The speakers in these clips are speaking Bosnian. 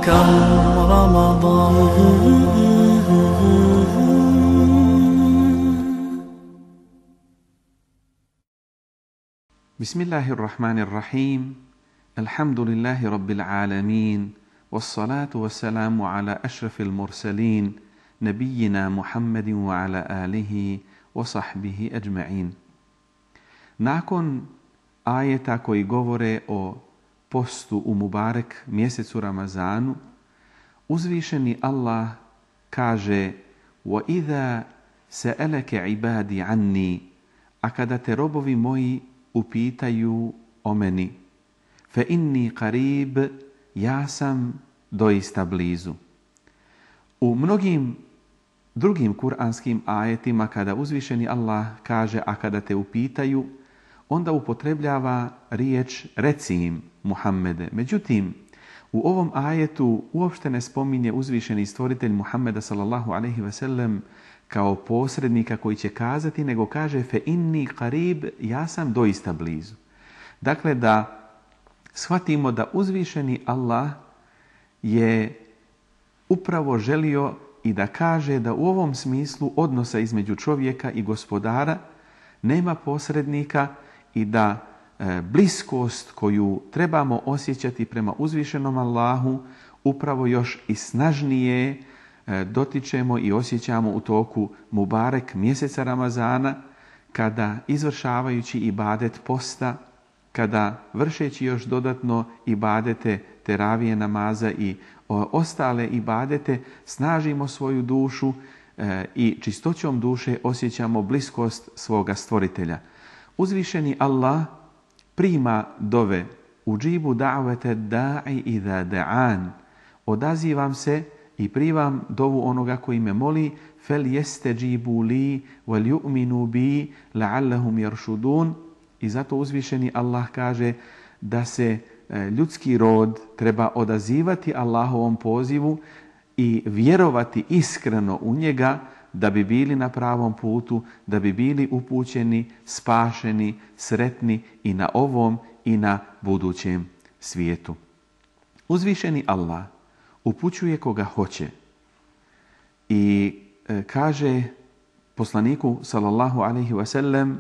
شهر رمضان. بسم الله الرحمن الرحيم. الحمد لله رب العالمين، والصلاة والسلام على أشرف المرسلين نبينا محمد وعلى آله وصحبه أجمعين. Nakon ajeta koji govore o postu u Mubarek mjesecu Ramazanu, uzvišeni Allah kaže: وَإِذَا سَأَلَكَ عِبَادِ عَنِّي, a kada te robovi moji upitaju o meni, فَإِنِّي قَرِيبٌ, ja sam doista blizu. U mnogim drugim kuranskim ajetima kada uzvišeni Allah kaže a kada te upitaju, onda upotrebljava riječ reci im Muhammede. Međutim, u ovom ajetu uopšte ne spominje uzvišeni stvoritelj Muhammeda sallallahu alejhi ve sellem kao posrednika koji će kazati, nego kaže fe inni qarib, ja sam doista blizu. Dakle, da shvatimo da uzvišeni Allah je upravo želio i da kaže da u ovom smislu odnosa između čovjeka i gospodara nema posrednika i da bliskost koju trebamo osjećati prema uzvišenom Allahu upravo još i snažnije dotičemo i osjećamo u toku Mubarek mjeseca Ramazana, kada izvršavajući ibadet posta, kada vršeći još dodatno ibadete teravije namaza i ostale ibadete, snažimo svoju dušu i čistoćom duše osjećamo bliskost svoga stvoritelja. Uzvišeni Allah prima dove uđibu da'vete da'i idha da'an, odazivam se i primam dovu onoga koji me moli, fel yestajibu li wal yu'minu bi la'allahum yarshudun. I zato uzvišeni Allah kaže da se ljudski rod treba odazivati Allahovom pozivu i vjerovati iskreno u njega da bi bili na pravom putu, da bi bili upućeni, spašeni, sretni i na ovom i na budućem svijetu. Uzvišeni Allah upućuje koga hoće i kaže poslaniku sallallahu alejhi ve sellem: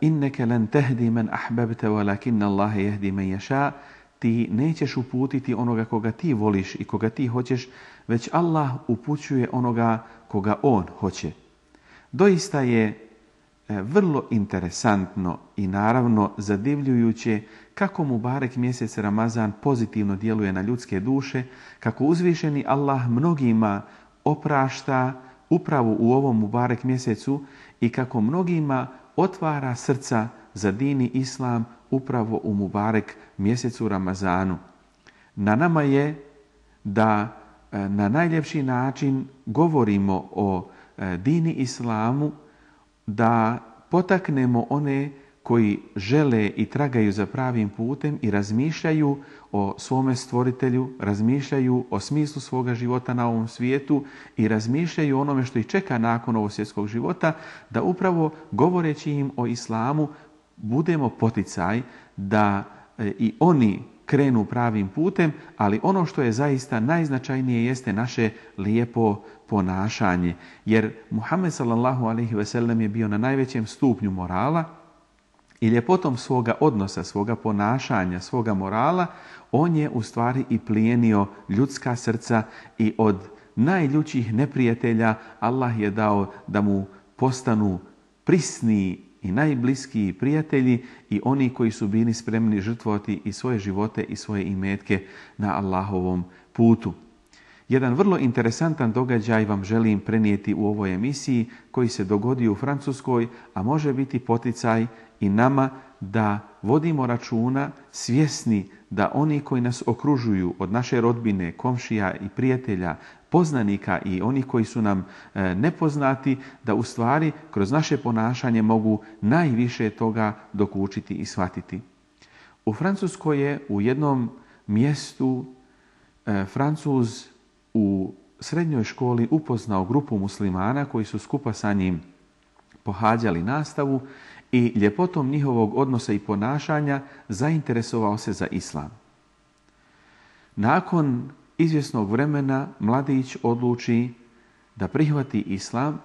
inneke lan tahdi man ahbabta walakin Allah yahdi man yasha. Ti nećeš uputiti onoga koga ti voliš i koga ti hoćeš, već Allah upućuje onoga koga on hoće. Doista je vrlo interesantno i naravno zadivljujuće kako Mubarek mjesec Ramazan pozitivno djeluje na ljudske duše, kako uzvišeni Allah mnogima oprašta upravo u ovom Mubarek mjesecu i kako mnogima otvara srca za dini Islam upravo u Mubarek mjesecu Ramazanu. Na nama je da na najljepši način govorimo o dini Islamu, da potaknemo one koji žele i tragaju za pravim putem i razmišljaju o svome stvoritelju, razmišljaju o smislu svoga života na ovom svijetu i razmišljaju o onome što ih čeka nakon ovog svjetskog života, da upravo govoreći im o Islamu budemo poticaj da i oni krenu pravim putem, ali ono što je zaista najznačajnije jeste naše lijepo ponašanje. Jer Muhammed sallallahu alejhi ve sellem je bio na najvećem stupnju morala i ljepotom svoga odnosa, svoga ponašanja, svoga morala, on je u stvari i plijenio ljudska srca i od najljućih neprijatelja Allah je dao da mu postanu prisni i najbliskiji prijatelji i oni koji su bili spremni žrtvovati i svoje živote i svoje imetke na Allahovom putu. Jedan vrlo interesantan događaj vam želim prenijeti u ovoj emisiji koji se dogodio u Francuskoj, a može biti poticaj i nama da vodimo računa, svjesni da oni koji nas okružuju od naše rodbine, komšija i prijatelja, poznanika i oni koji su nam nepoznati, da u stvari kroz naše ponašanje mogu najviše toga dokučiti i shvatiti. U Francuskoj je u jednom mjestu Francuz u srednjoj školi upoznao grupu muslimana koji su skupa sa njim pohađali nastavu i ljepotom njihovog odnosa i ponašanja zainteresovao se za islam. Nakon izvjesnog vremena mladić odluči da prihvati islam,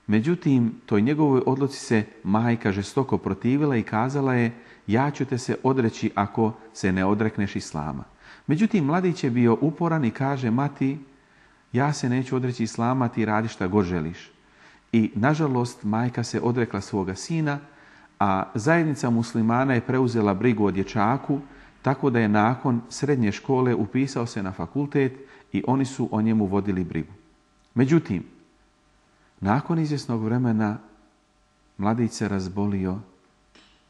međutim toj njegovoj odluci se majka žestoko protivila i kazala je: ja ću te se odreći ako se ne odrekneš islama. Međutim, mladić je bio uporan i kaže: mati, ja se neću odreći islama, ti radi šta god želiš. I nažalost majka se odrekla svoga sina, a zajednica muslimana je preuzela brigu o dječaku, tako da je nakon srednje škole upisao se na fakultet i oni su o njemu vodili brigu. Međutim, nakon izvjesnog vremena mladić se razbolio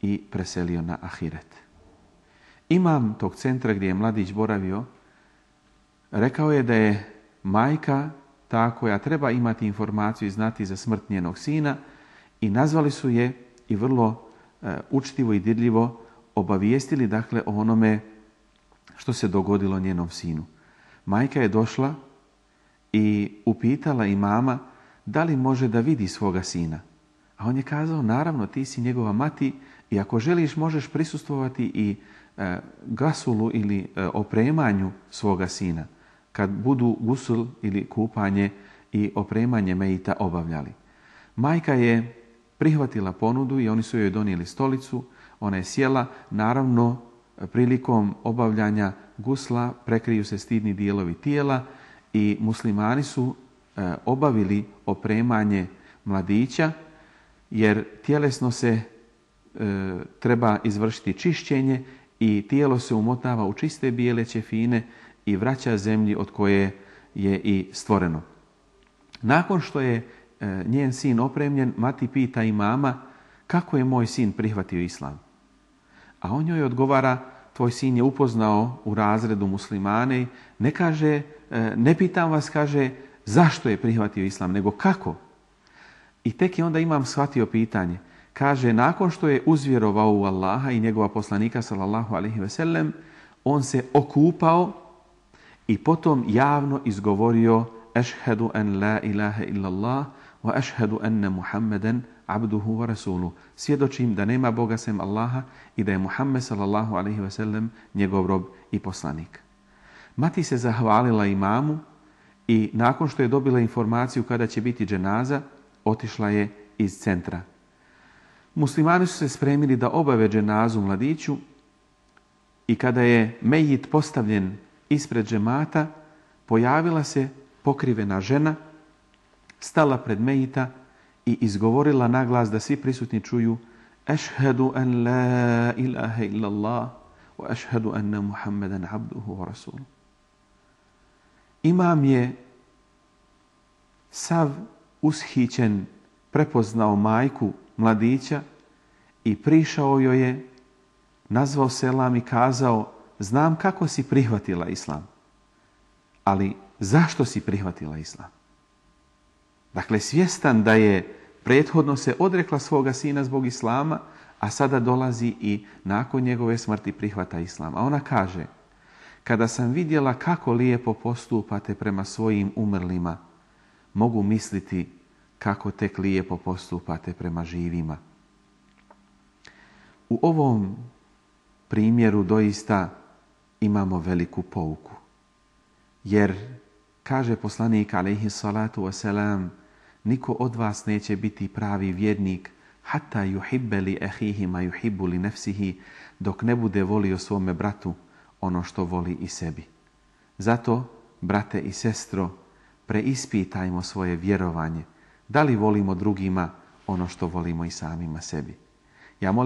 i preselio na ahiret. Imam tog centra gdje je mladić boravio rekao je da je majka ta koja treba imati informaciju i znati za smrt njenog sina i nazvali su je i vrlo učtivo i dirljivo obavijestili dakle o onome što se dogodilo njenom sinu. Majka je došla i upitala imama da li može da vidi svoga sina. A on je kazao: naravno, ti si njegova mati i ako želiš možeš prisustvovati i gasulu ili opremanju svoga sina kad budu gusul ili kupanje i opremanje mejita obavljali. Majka je prihvatila ponudu i oni su joj donijeli stolicu. Ona je sjela. Naravno, prilikom obavljanja gusla prekriju se stidni dijelovi tijela i muslimani su obavili opremanje mladića, jer tjelesno se treba izvršiti čišćenje i tijelo se umotava u čiste bijele ćefine i vraća zemlji od koje je i stvoreno. Nakon što je njen sin opremljen, mati pita imama: kako je moj sin prihvatio islam? A on joj odgovara: tvoj sin je upoznao u razredu muslimane. Ne kaže, ne pitam vas, kaže, zašto je prihvatio islam, nego kako? I tek je onda imam shvatio pitanje. Kaže, nakon što je uzvjerovao u Allaha i njegova poslanika sallallahu alejhi ve sellem, on se okupao i potom javno izgovorio: ešhedu en la ilaha illallah wa ešhedu enne Muhammeden abduhu wa rasuluhu. Svjedočim da nema Boga sem Allaha i da je Muhammed sallallahu alejhi ve sellem njegov rob i poslanik. Mati se zahvalila imamu i nakon što je dobila informaciju kada će biti dženaza, otišla je iz centra. Muslimani su se spremili da obave dženazu mladiću i kada je mejit postavljen ispred džemata, pojavila se pokrivena žena, stala pred mejita i izgovorila naglas da svi prisutni čuju: ešhedu en la ilaha illallah wa ešhedu enne Muhammeden abduhu wa rasuluhu. Imam je sav ushićen prepoznao majku mladića i prišao joj je, nazvao selam i kazao: znam kako si prihvatila islam, ali zašto si prihvatila islam? Dakle, svjestan da je prethodno se odrekla svoga sina zbog islama, a sada dolazi i nakon njegove smrti prihvata islam. A ona kaže: kada sam vidjela kako lijepo postupate prema svojim umrlima, mogu misliti kako tek lijepo postupate prema živima. U ovom primjeru doista imamo veliku pouku. Jer, kaže poslanik alejhi salatu wasalam, niko od vas neće biti pravi vjernik hatta yuhibbe li ahihi ma yuhibbu li nafsihi, dok ne bude volio svome bratu ono što voli i sebi. Zato, brate i sestro, preispitajmo svoje vjerovanje. Da li volimo drugima ono što volimo i samima sebi? Ja molim